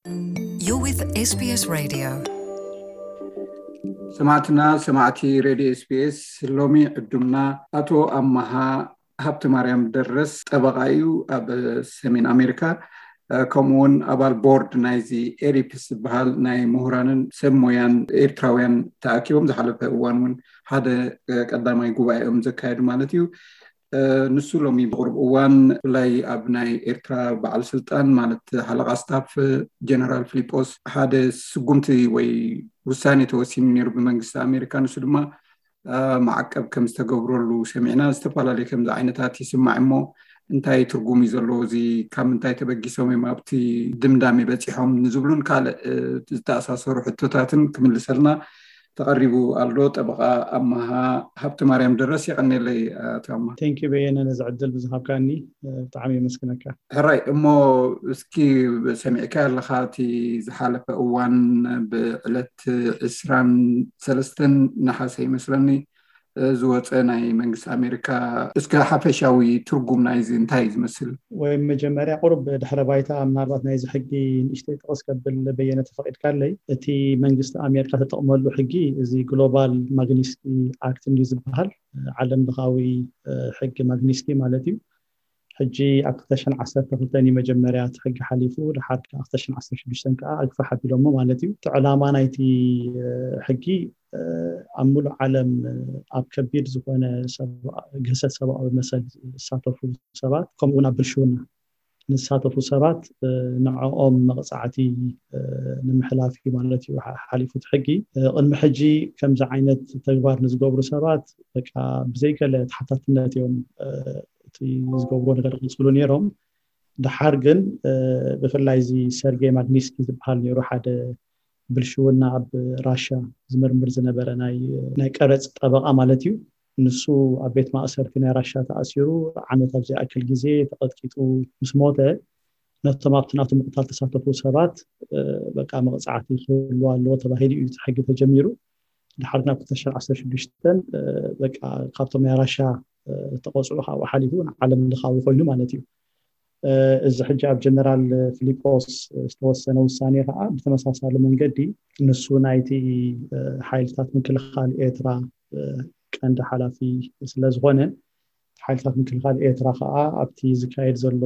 You're with SBS Radio. ሰማዕትና ሰማዕቲ ሬድዮ ኤስቢኤስ፣ ሎሚ ዕዱምና ኣቶ ኣማሃ ሃብተ ማርያም ደረስ ጠበቓ እዩ። ኣብ ሰሜን ኣሜሪካ ከምኡውን ኣባል ቦርድ ናይዚ ኤሪፕስ ዝበሃል ናይ ምሁራንን ሰብ ሞያን ኤርትራውያን ተኣኪቦም ዝሓለፈ እዋን እውን ሓደ ቀዳማይ ጉባኤኦም ዘካየዱ ማለት እዩ። ንሱ ሎሚ ብቕሩብ እዋን ብፍላይ ኣብ ናይ ኤርትራ በዓል ስልጣን ማለት ሓለቓ ስታፍ ጀነራል ፊሊጶስ ሓደ ስጉምቲ ወይ ውሳኔ ተወሲኑ ነይሩ ብመንግስቲ ኣሜሪካ። ንሱ ድማ ማዕቀብ ከም ዝተገብረሉ ሰሚዕና። ዝተፈላለዩ ከምዚ ዓይነታት ይስማዕ እሞ እንታይ ትርጉም እዩ ዘለዎ? እዚ ካብ ምንታይ ተበጊሶም እዮም ኣብቲ ድምዳሜ በፂሖም ንዝብሉን ካልእ ዝተኣሳሰሩ ሕቶታትን ክምልሰልና ተቐሪቡ ኣሎ። ጠበቓ ኣማሃ ሃብተ ማርያም ደረስ፣ የቐኔለይ ኣቶ ኣማሃ። ቴንኪ በየነ፣ ነዚ ዕድል ብዝሃብካኒ ብጣዕሚ የመስግነካ። ሕራይ እሞ፣ እስኪ ሰሚዕካ ኣለኻ፣ እቲ ዝሓለፈ እዋን ብዕለት ዕስራን ሰለስተን ነሓሰ ይመስለኒ ዝወፀ ናይ መንግስቲ ኣሜሪካ፣ እስከ ሓፈሻዊ ትርጉም ናይዚ እንታይ እዩ ዝመስል? ወይ መጀመርያ ቁሩብ ድሕረ ባይታ ምናልባት ናይዚ ሕጊ ንእሽተይ ጥቕስ ከብል በየነ ተፈቒድካለይ። እቲ መንግስቲ ኣሜሪካ ተጠቕመሉ ሕጊ እዚ ግሎባል ማግኒስኪ ኣክት እንዲ ዝበሃል ዓለም ለኻዊ ሕጊ ማግኒስኪ ማለት እዩ። ሕጂ ኣብ ክልተ ሽሕን ዓሰርተ ክልተን እዩ መጀመርያ እቲ ሕጊ ሓሊፉ፣ ድሓር ከዓ ክልተ ሽሕን ዓሰርተ ሽዱሽተን ከዓ ኣግፍሕ ኣቢሎሞ ማለት እዩ። እቲ ዕላማ ናይቲ ሕጊ ኣብ ሙሉእ ዓለም ኣብ ከቢድ ዝኾነ ግህሰት ሰብኣዊ መሰል ዝሳተፉ ሰባት፣ ከምኡ እውን ኣብ ብልሽውና ንዝሳተፉ ሰባት ንዕኦም መቕፃዕቲ ንምሕላፍ እዩ ማለት እዩ ሓሊፉ እቲ ሕጊ። ቅድሚ ሕጂ ከምዚ ዓይነት ተግባር ንዝገብሩ ሰባት በቃ ብዘይገለ ተሓታትነት እዮም እቲ ዝገብርዎ ነገር ዝቕፅሉ ነይሮም። ድሓር ግን ብፍላይ እዚ ሰርጌይ ማግኒስኪ ዝበሃል ነይሩ፣ ሓደ ብልሽውና ኣብ ራሻ ዝምርምር ዝነበረ ናይ ቀረፅ ጠበቓ ማለት እዩ። ንሱ ኣብ ቤት ማእሰርቲ ናይ ራሻ ተኣሲሩ ዓመት ኣብ ዘይኣክል ግዜ ተቐጥቂጡ ምስ ሞተ፣ ነቶም ኣብቲ ናቱ ምቕታል ተሳተፉ ሰባት በቃ መቕፃዕቲ ክህሉ ኣለዎ ተባሂሉ እዩ እቲ ሕጊ ተጀሚሩ። ድሓር ናብ ክልተ ሽሕን ዓሰርተ ሽዱሽተን በቃ ካብቶም ናይ ራሻ ተቐፅዑ ካብኡ ሓሊፉ ንዓለም ለኻዊ ኮይኑ ማለት እዩ። እዚ ሕጂ ኣብ ጀነራል ፊሊጶስ ዝተወሰነ ውሳኔ ከዓ ብተመሳሳሊ መንገዲ ንሱ ናይቲ ሓይልታት ምክልኻል ኤርትራ ቀንዲ ሓላፊ ስለዝኾነ፣ ሓይልታት ምክልኻል ኤርትራ ከዓ ኣብቲ ዝካየድ ዘሎ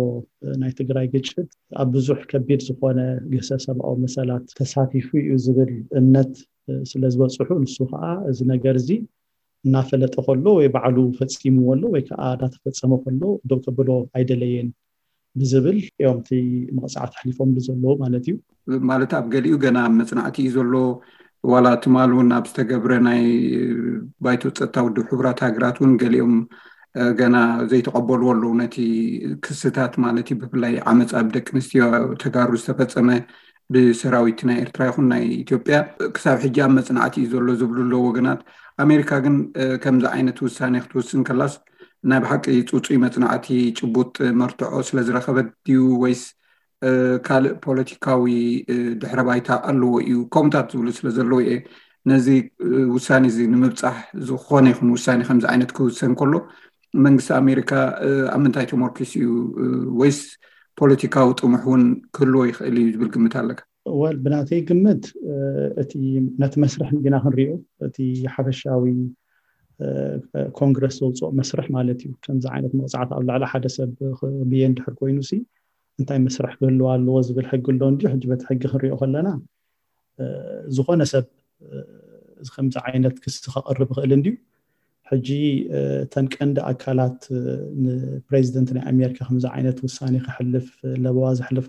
ናይ ትግራይ ግጭት ኣብ ብዙሕ ከቢድ ዝኾነ ግህሰት ሰብኣዊ መሰላት ተሳቲፉ እዩ ዝብል እምነት ስለዝበፅሑ፣ ንሱ ከዓ እዚ ነገር እዚ እናፈለጠ ከሎ ወይ ባዕሉ ፈፂምዎ ኣሎ ወይ ከዓ እንዳተፈፀመ ከሎ ደው ከብሎ ኣይደለየን ብዝብል እዮም እቲ መቕፃዕቲ ኣሕሊፎምሉ ዘለዉ ማለት እዩ። ማለት ኣብ ገሊኡ ገና ኣብ መፅናዕቲ እዩ ዘሎ። ዋላ ትማል እውን ኣብ ዝተገብረ ናይ ባይቶ ፀጥታ ውድብ ሕቡራት ሃገራት እውን ገሊኦም ገና ዘይተቐበልዎ ኣለዉ ነቲ ክስታት ማለት እዩ። ብፍላይ ዓመፅ ኣብ ደቂ ኣንስትዮ ተጋሩ ዝተፈፀመ ብሰራዊት ናይ ኤርትራ ይኹን ናይ ኢትዮጵያ ክሳብ ሕጂ ኣብ መፅናዕቲ እዩ ዘሎ ዝብሉ ኣለዉ ወገናት። ኣሜሪካ ግን ከምዚ ዓይነት ውሳኔ ክትውስን ከላስ ናይ ብሓቂ ፅፁይ መፅናዕቲ ጭቡጥ መርትዖ ስለዝረኸበት ድዩ ወይስ ካልእ ፖለቲካዊ ድሕረ ባይታ ኣለዎ እዩ? ከምታት ዝብሉ ስለዘለዉ እየ ነዚ ውሳኔ እዚ ንምብፃሕ ዝኾነ ይኹን ውሳኔ ከምዚ ዓይነት ክውሰን ከሎ መንግስቲ ኣሜሪካ ኣብ ምንታይ ተመርኪሱ እዩ? ወይስ ፖለቲካዊ ጥሙሕ እውን ክህልዎ ይኽእል እዩ ዝብል ግምት ኣለካ? ወል ብናተይ ግምት እቲ ነቲ መስርሕ እንዲና ክንሪኦ፣ እቲ ሓፈሻዊ ኮንግረስ ዘውፅኦ መስርሕ ማለት እዩ። ከምዚ ዓይነት መቕፃዕቲ ኣብ ልዕሊ ሓደ ሰብ ብየን ድሕር ኮይኑ ሲ እንታይ መስርሕ ክህልዎ ኣለዎ ዝብል ሕጊ ኣሎ እንዲ ሕጂ በቲ ሕጊ ክንሪኦ ከለና ዝኾነ ሰብ እዚ ከምዚ ዓይነት ክሲ ከቕርብ ይኽእል እንድዩ። ሕጂ እተን ቀንዲ ኣካላት ንፕሬዚደንት ናይ ኣሜሪካ ከምዚ ዓይነት ውሳኔ ከሕልፍ ለበዋ ዘሕልፋ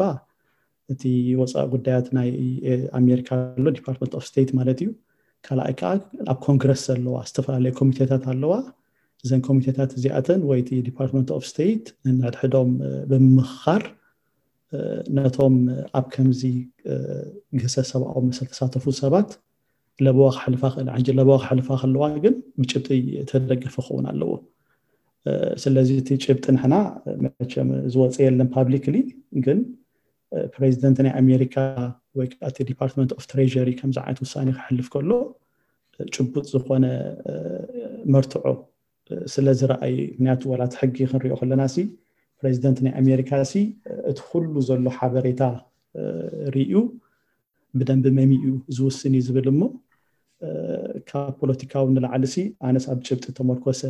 እቲ ወፃኢ ጉዳያት ናይ ኣሜሪካ ኣሎ፣ ዲፓርትመንት ኦፍ ስቴት ማለት እዩ። ካልኣይ ከዓ ኣብ ኮንግረስ ዘለዋ ዝተፈላለየ ኮሚቴታት ኣለዋ። እዘን ኮሚቴታት እዚኣተን ወይ እቲ ዲፓርትመንት ኦፍ ስቴት ነንሕድሕዶም ብምምኽኻር ነቶም ኣብ ከምዚ ግህሰት ሰብኣዊ መሰል ተሳተፉ ሰባት ለበዋ ክሕልፋ ክእል። ሕጂ ለበዋ ክሕልፋ ከለዋ ግን ብጭብጢ ተደገፈ ክኸውን ኣለዎ። ስለዚ እቲ ጭብጢ ንሕና መቸም ዝወፀ የለን ፓብሊክሊ፣ ግን ፕሬዚደንት ናይ ኣሜሪካ ወይ ከዓ እቲ ዲፓርትመንት ኦፍ ትሬሪ ከምዚ ዓይነት ውሳኔ ክሕልፍ ከሎ ጭቡጥ ዝኾነ መርትዖ ስለ ዝረኣይ፣ ምክንያቱ ዋላ እቲ ሕጊ ክንሪኦ ከለና ሲ ፕሬዚደንት ናይ ኣሜሪካ ሲ እቲ ኩሉ ዘሎ ሓበሬታ ርዩ ብደንቢ መሚኡ ዝውስን እዩ ዝብል እሞ ካብ ፖለቲካዊ ንላዕሊ ሲ ኣነስ ኣብ ጭብጢ ተመርኮሰ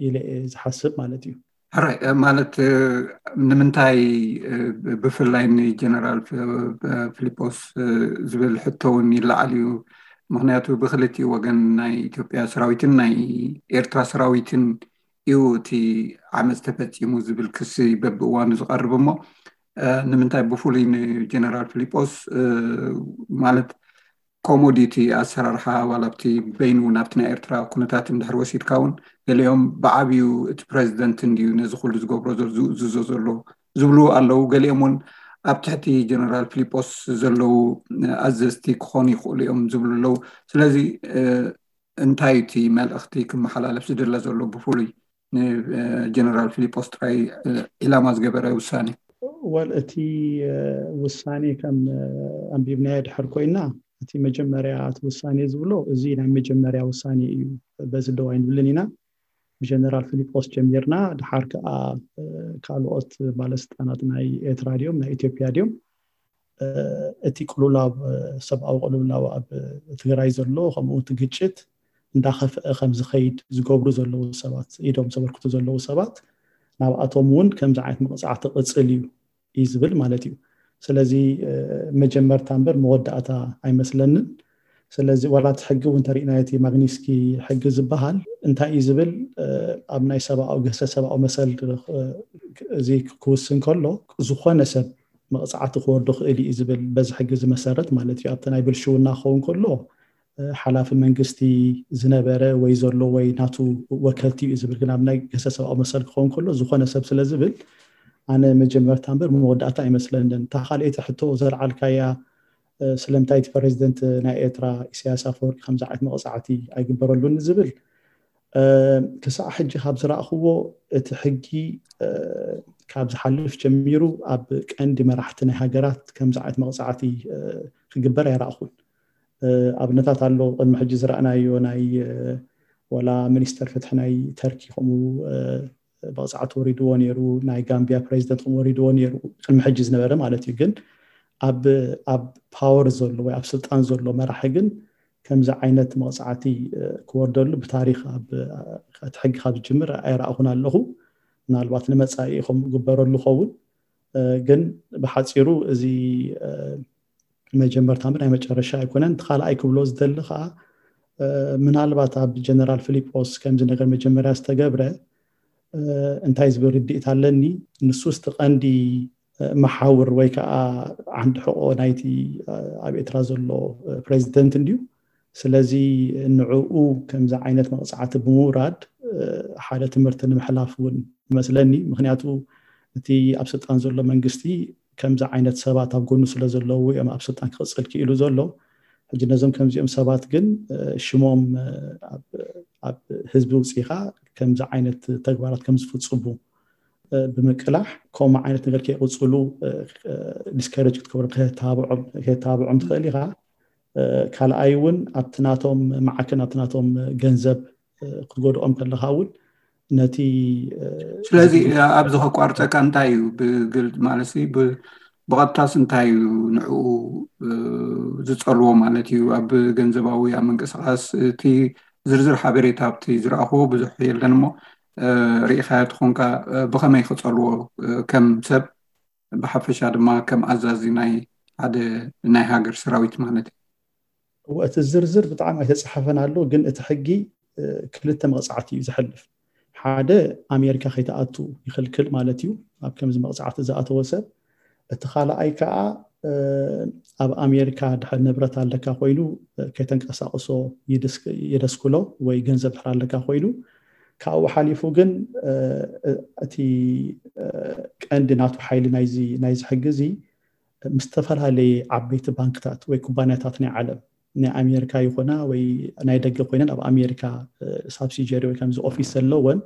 ኢለ ዝሓስብ ማለት እዩ። ሕራይ ማለት ንምንታይ ብፍላይ ንጀነራል ፊሊጶስ ዝብል ሕቶ እውን ይለዓል እዩ። ምክንያቱ ብክልቲኡ ወገን ናይ ኢትዮጵያ ሰራዊትን ናይ ኤርትራ ሰራዊትን እዩ እቲ ዓመፅ ተፈፂሙ ዝብል ክሲ በብእዋኑ ዝቀርብ እሞ ንምንታይ ብፍሉይ ንጀነራል ፊሊጶስ ማለት ኮሞዲቲ ኣሰራርሓ ዋላ ኣብቲ በይኑ ናብቲ ናይ ኤርትራ ኩነታት እንድሕር ወሲድካ እውን ገሊኦም ብዓብዩ እቲ ፕሬዚደንት እንድዩ ነዚ ኩሉ ዝገብሮ ዝእዝዞ ዘሎ ዝብሉ ኣለዉ። ገሊኦም እውን ኣብ ትሕቲ ጀነራል ፊሊጶስ ዘለዉ ኣዘዝቲ ክኾኑ ይኽእሉ እዮም ዝብሉ ኣለዉ። ስለዚ እንታይ እቲ መልእኽቲ ክመሓላለፍ ዝድለ ዘሎ ብፍሉይ ንጀነራል ፊሊጶስ ጥራይ ዒላማ ዝገበረ ውሳኔ? ወል እቲ ውሳኔ ከም ኣንቢብናዮ ድሕር ኮይና እቲ መጀመርያ እቲ ውሳኔ ዝብሎ እዚ ናይ መጀመርያ ውሳኔ እዩ። በዚ ደው ኣይንብልን ኢና። ብጀነራል ፊሊጶስ ጀሚርና ድሓር ከዓ ካልኦት ባለስልጣናት ናይ ኤርትራ ድዮም ናይ ኢትዮጵያ ድዮም እቲ ቅሉላው ሰብኣዊ ቅልውላው ኣብ ትግራይ ዘሎ ከምኡ እቲ ግጭት እንዳኸፍአ ከም ዝኸይድ ዝገብሩ ዘለዉ ሰባት ኢዶም ዘበርክቱ ዘለዉ ሰባት ናብኣቶም እውን ከምዚ ዓይነት መቕፃዕቲ ቅፅል እዩ እዩ ዝብል ማለት እዩ። ስለዚ መጀመርታ እምበር መወዳእታ ኣይመስለንን። ስለዚ ዋላ እቲ ሕጊ እውን ተሪእና እቲ ማግኒስኪ ሕጊ ዝበሃል እንታይ እዩ ዝብል ኣብ ናይ ሰብኣዊ ገሰ ሰብኣዊ መሰል እዚ ክውስን ከሎ ዝኾነ ሰብ መቕፃዕቲ ክወርዶ ክእል እዩ ዝብል በዚ ሕጊ ዝመሰረት ማለት እዩ። ኣብቲ ናይ ብልሽውና ክኸውን ከሎ ሓላፊ መንግስቲ ዝነበረ ወይ ዘሎ ወይ ናቱ ወከልቲ እዩ ዝብል ግን ኣብ ናይ ገሰ ሰብኣዊ መሰል ክኸውን ከሎ ዝኾነ ሰብ ስለ ዝብል ኣነ መጀመርታ እምበር መወዳእታ ኣይመስለንን። እታ ካልኣይቲ ሕቶ ዘልዓልካያ ስለምንታይ እቲ ፕሬዚደንት ናይ ኤርትራ ኢሳያስ ኣፈወርቂ ከምዚ ዓይነት መቕፃዕቲ ኣይግበረሉን ዝብል ክሳዕ ሕጂ ካብ ዝረእኽዎ እቲ ሕጊ ካብ ዝሓልፍ ጀሚሩ ኣብ ቀንዲ መራሕቲ ናይ ሃገራት ከምዚ ዓይነት መቕፃዕቲ ክግበር ኣይረእኹን። ኣብነታት ኣሎ ቅድሚ ሕጂ ዝረእናዮ ናይ ወላ ሚኒስተር ፍትሒ ናይ ተርኪ ከምኡ መቕፃዕቲ ወሪድዎ ነይሩ፣ ናይ ጋምቢያ ፕሬዚደንት ከምኡ ወሪድዎ ነይሩ ቅድሚ ሕጂ ዝነበረ ማለት እዩ። ግን ኣብ ፓወር ዘሎ ወይ ኣብ ስልጣን ዘሎ መራሒ ግን ከምዚ ዓይነት መቕፃዕቲ ክወርደሉ ብታሪክ እቲ ሕጊ ካብ ዝጅምር ኣይረእኹን ኣለኹ። ምናልባት ንመፃኢ ከም ግበረሉ ኸውን ግን ብሓፂሩ እዚ መጀመርታ ናይ መጨረሻ ኣይኮነን። እቲ ካልኣይ ክብሎ ዝደሊ ከዓ ምናልባት ኣብ ጀነራል ፊሊጶስ ከምዚ ነገር መጀመርያ ዝተገብረ እንታይ ዝብል ርድኢት ኣለኒ። ንሱ ስቲ ቀንዲ መሓውር ወይ ከዓ ዓንዲ ሕቆ ናይቲ ኣብ ኤርትራ ዘሎ ፕሬዚደንት እንድዩ። ስለዚ ንዕኡ ከምዚ ዓይነት መቕፃዕቲ ብምውራድ ሓደ ትምህርቲ ንምሕላፍ እውን ይመስለኒ። ምክንያቱ እቲ ኣብ ስልጣን ዘሎ መንግስቲ ከምዚ ዓይነት ሰባት ኣብ ጎኑ ስለ ዘለዉ እዮም ኣብ ስልጣን ክቕፅል ክኢሉ ዘሎ። ሕጂ ነዞም ከምዚኦም ሰባት ግን ሽሞም ኣብ ህዝቢ ውፅኢኻ ከምዚ ዓይነት ተግባራት ከም ዝፍፅሙ ብምቅላሕ ከምኡ ዓይነት ነገር ከይቕፅሉ ዲስከረጅ ክትገብሮም ከተባብዖም ትኽእል ኢኻ። ካልኣይ እውን ኣብቲ ናቶም መዓክን ኣብቲ ናቶም ገንዘብ ክትጎድኦም ከለካ እውን ነቲ ስለዚ ኣብዚ ከቋርፀካ እንታይ እዩ ብግልፅ ማለት ብቐጥታስ እንታይ እዩ ንዕኡ ዝፀልዎ ማለት እዩ ኣብ ገንዘባዊ ኣብ ምንቅስቃስ እቲ ዝርዝር ሓበሬታ ኣብቲ ዝረኣኽዎ ብዙሕ የለን እሞ ርኢኻዮ ትኾንካ ብኸመይ ክፀልዎ ከም ሰብ ብሓፈሻ ድማ ከም ኣዛዚ ናይ ሓደ ናይ ሃገር ሰራዊት ማለት እዩ። እቲ ዝርዝር ብጣዕሚ ኣይተፃሓፈን ኣሎ ግን እቲ ሕጊ ክልተ መቕፃዕቲ እዩ ዝሕልፍ። ሓደ ኣሜሪካ ከይተኣቱ ይኽልክል ማለት እዩ ኣብ ከምዚ መቕፃዕቲ ዝኣተወ ሰብ። እቲ ካልኣይ ከዓ ኣብ ኣሜሪካ ድሕር ንብረት ኣለካ ኮይኑ ከይተንቀሳቅሶ የደስክሎ ወይ ገንዘብ ድሕር ኣለካ ኮይኑ ካብኡ ሓሊፉ ግን እቲ ቀንዲ ናቱ ሓይሊ ናይዚ ሕጊ እዚ ምስ ዝተፈላለየ ዓበይቲ ባንክታት ወይ ኩባንያታት ናይ ዓለም ናይ ኣሜሪካ ይኾና ወይ ናይ ደገ ኮይነን ኣብ ኣሜሪካ ሳብሲጀሪ ወይ ከምዚ ኦፊስ ዘለወን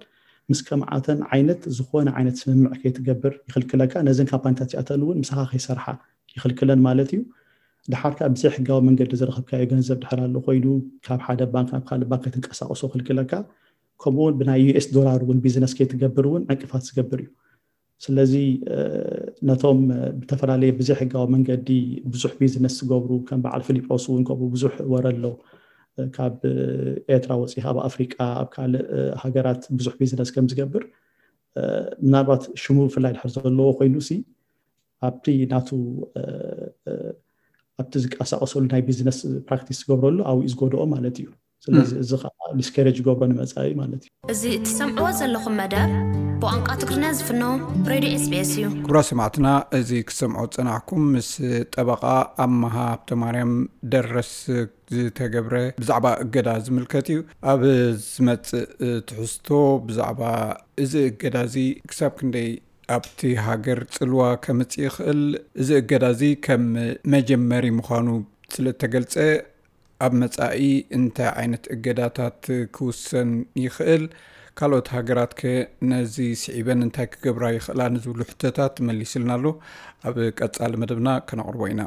ምስ ከምዓተን ዓይነት ዝኾነ ዓይነት ስምምዕ ከይትገብር ይኽልክለካ። ነዘን ካምፓኒታት እዚኣተን እውን ምሳኻ ከይሰርሓ ይኽልክለን ማለት እዩ። ድሓር ከዓ ብዘይ ሕጋዊ መንገዲ ዝረኸብካዮ ገንዘብ ድሕር ኣሎ ኮይኑ ካብ ሓደ ባንክ ናብ ካልእ ባንክ ከይትንቀሳቀሶ ይኽልክለካ። ከምኡ እውን ብናይ ዩኤስ ዶላር እውን ቢዝነስ ከይትገብር እውን ዕንቅፋት ዝገብር እዩ። ስለዚ ነቶም ብተፈላለየ ብዘይሕጋዊ መንገዲ ብዙሕ ቢዝነስ ዝገብሩ ከም በዓል ፊሊጶስ እውን ከምኡ ብዙሕ ወረ ኣሎ። ካብ ኤርትራ ወፂኻ ኣብ ኣፍሪቃ ኣብ ካልእ ሃገራት ብዙሕ ቢዝነስ ከም ዝገብር፣ ምናልባት ሽሙ ብፍላይ ድሕር ዘለዎ ኮይኑ ሲ ኣብቲ ናቱ ኣብቲ ዝንቀሳቀሰሉ ናይ ቢዝነስ ፕራክቲስ ዝገብረሉ ኣብኡ ዝጎድኦ ማለት እዩ። ስለዚ እዚ ከዓ ዲስከሬጅ ገብሮ ንመፃኢ ማለት እዩ። እዚ እትሰምዕዎ ዘለኹም መደብ ብቋንቋ ትግርኛ ዝፍኖ ሬድዮ ኤስቢኤስ እዩ። ክቡራት ሰማዕትና፣ እዚ ክትሰምዑ ዝፀናሕኩም ምስ ጠበቓ ኣመሃ ሃብተማርያም ደረስ ዝተገብረ ብዛዕባ እገዳ ዝምልከት እዩ። ኣብ ዝመፅእ ትሕዝቶ ብዛዕባ እዚ እገዳ እዚ ክሳብ ክንደይ ኣብቲ ሃገር ፅልዋ ከምፅእ ይኽእል፣ እዚ እገዳ እዚ ከም መጀመሪ ምዃኑ ስለ እተገልፀ፣ ኣብ መጻኢ እንታይ ዓይነት እገዳታት ክውሰን ይኽእል፣ ካልኦት ሃገራት ከ ነዚ ስዒበን እንታይ ክገብራ ይኽእላ ንዝብሉ ሕቶታት መሊስልና ኣሎ። ኣብ ቀጻሊ መደብና ከነቕርቦ ኢና።